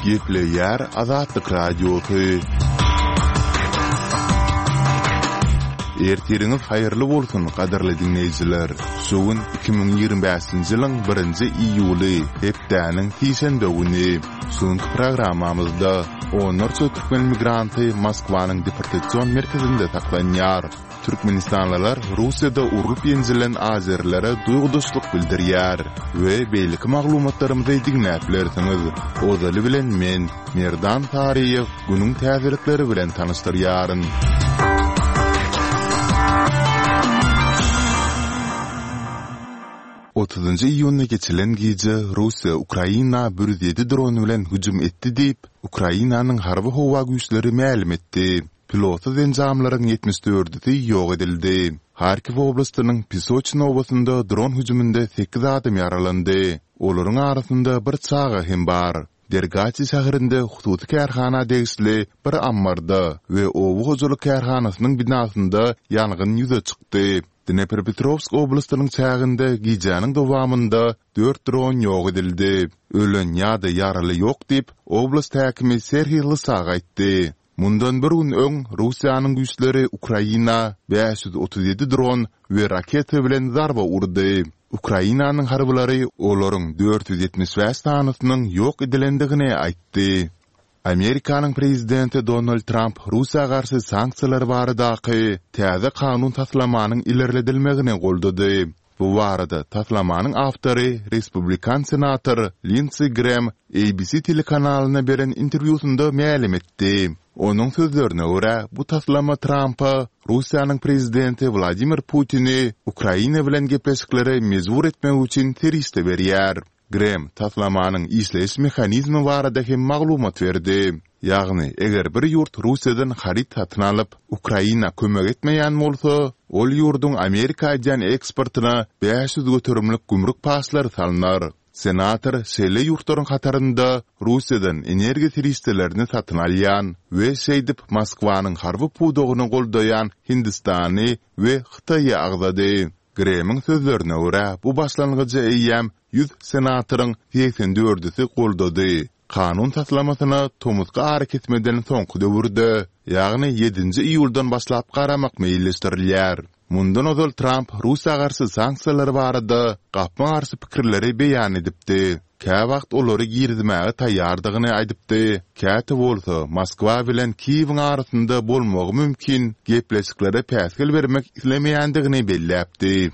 Gepleýär Azatlyk Radiosy. Ertiriňiz haýyrly bolsun, gadyrly diňleýjiler! Şu gün 2025-nji ýylyň birinji iýuly, hepdäniň sişenbe güni. Şu günki programmamyzda onlarça türkmen migranty Moskwanyň deportasion merkezinde saklanýar. Türkmenistanlylar Russiýada urlup-ýenjilen azerilere duýgudaşlyk bildirýär we beýleki maglumatlarymyzy diňläp bilersiňiz. Ozaly bilen men, Merdan Saryýew, günüň täzelikleri bilen tanyşdyrýaryn. Otuzynjy iýunda geçilen gije Russiýa Ukraina 107 dron bilen hüjüm etdi diýip, Ukrainanyň Harby-howa güýçleri mälim etdi. Pilotsyz enjamlaryň ýetmiş dördüsi ýok edildi. Harkiw oblastynyň Pisoçin obasynda dron hüjüminde sekiz adam ýaralandy. Olaryň arasynda bir çaga hem bar. Dergaçi şäherinde hususy kärhana degişli bir ammarda we oba hojalyk kärhanasynyň binasynda ýangyn ýüze çykdy. Dnepropetrowsk oblastynyň çäginde gijäniň dowamynda dört dron ýok edildi. Ölen ýa-da ýaraly ýok diýip, oblast häkimi Serhiý Lysak aýtdy. Mundan bir gün öň Russiýanyň güýçleri Ukraina 537 dron we raketa bilen zarba urdy. Ukrainanyň harbylary olaryň 475 sanysynyň ýok edilendigini aýtdy. Amerikanyň prezidenti Donald Tramp Russiýa garşy sanksiýalar baradaky täze kanun taslamanyň ilerledilmegini goldady. Bu barada taslamanyň awtory respublikan senator Lindsi Grem ABC telekanalyna beren interwýusynda mälim etdi. Onuň sözlerine görä, bu taslama Trampa Russiýanyň prezidenti Wladimir Putini Ukraina bilen gepleşiklere mejbur etmek üçin serişde berýär. Grem taslamanyň işleýiş mehanizmi barada hem maglumat berdi. Ýagny, eger bir ýurt Russiýadan haryt satyn alyp, Ukraina kömek etmeýän bolsa, ol ýurduň Amerika edýän eksportyna 500 göterimlik gümrük paçlary salnar. Senator şeýle ýurtlaryň hatarynda Russiýadan energiýa serişdelerini satyn alýan we şeýdip Moskwanyň harby pudagyny goldaýan Hindistany we Hytaýy agzady. Gremiň sözlerine görä, bu başlangyjy eýýäm 100 senatoryň segsen dördüsi goldady. Kanun taslamasyna tomusky arakesmeden soňky döwürde, ýagny ýedinji iýuldan başlap garamak meýilleşdirilýär. Mundan ozal Tramp Russiýa garşy sanksiýalar barada gapma-garşy pikirleri beýan edipdi. Käwagt olary girizmäge taýýardygyny aýdypdy, käte bolsa Moskwa bilen Kiýewiň arasynda bolmagy mümkin gepleşiklere päsgel bermek islemeýändigini belläpdi.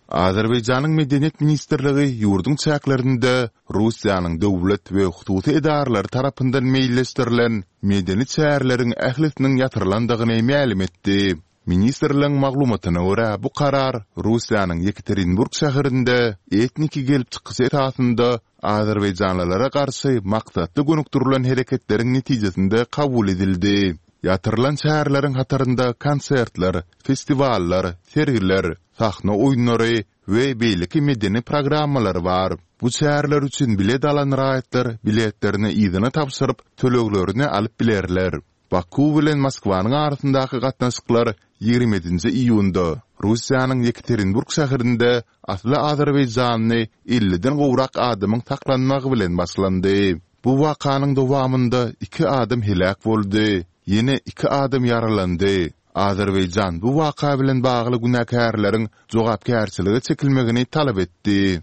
Azerbaýjanyň Medeniýet ministrligi ýurduň çäklerinde Russiýanyň döwlet we hususy edaralary tarapyndan meýilleşdirilen medeni çäreleriň ählisiniň ýatyrylandygyny mälim etdi. Ministrligiň maglumatyna görä, bu karar Russiýanyň Ýekaterinburg şäherinde etniki gelip çykyşy esasynda azerbaýjanlylara garşy maksatly gönükdirilen hereketleriň netijesinde kabul edildi. Ýatyrylan çäreleriň hatarynda konsertler, festiwallar, sergiler, sahna oýunlary we beýleki medeni programmalar bar. Bu çäreler üçin bilet alan raýatlar biletlerini yzyna tabşyryp, töleglerini alyp bilerler. Baku bilen Moskwanyň arasyndaky gatnaşyklar 27 ýedinji iýunda Russiýanyň Ýekaterinburg şäherinde asly azerbaýjanly elliden gowrak adamyň saklanmagy bilen başlandy. Bu wakanyň dowamynda iki adam heläk boldy, ýene iki adam ýaralandy. Azerbaýjan bu waka bilen bagly günäkärleriň jogapkärçilige çekilmegini talap etdi.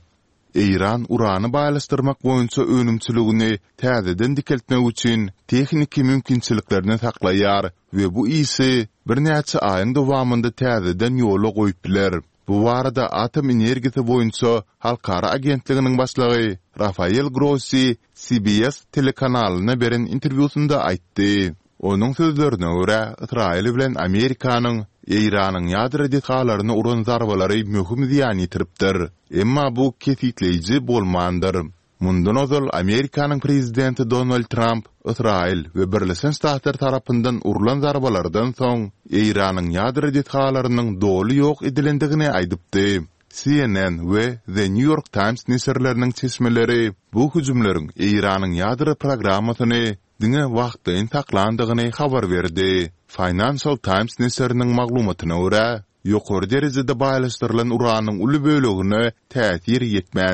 Eýran urany baýlaşdyrmak boýunça önümçiligini täzeden dikeltmek üçin tehniki mümkinçiliklerini saklaýar we bu işi birnäçe aýyň dowamynda täzeden ýola goýup biler. Bu barada Atom energiýasy boýunça halkara agentliginiň başlygy Rafael Grossi CBS telekanalyna beren interwýusynda aýtdy. Onuň sözlerine görä, Ysraýyl bilen Amerikanyň Eýranyň ýadro desgalaryna uran zarbalary möhüm zyýan ýetiripdir. Emma bu kesgitleýji bolmandyr. Mundan ozal Amerikanyň prezidenti Donald Tramp Ysraýyl we Birleşen Ştatlar tarapyndan urlan zarbalardan soň Eýranyň ýadro desgalarynyň doly ýok edilendigini aýdypdy. CNN we The New York Times neşirleriniň çeşmeleri bu hüjümleriň Eýranyň ýadro programmasyny diňe wagtlaýyn saklandygyny habar berdi. Financial Times neşiriniň maglumatyna görä, ýokary derejede baýlaşdyrylan uranyň uly bölegine täsir ýetmändir.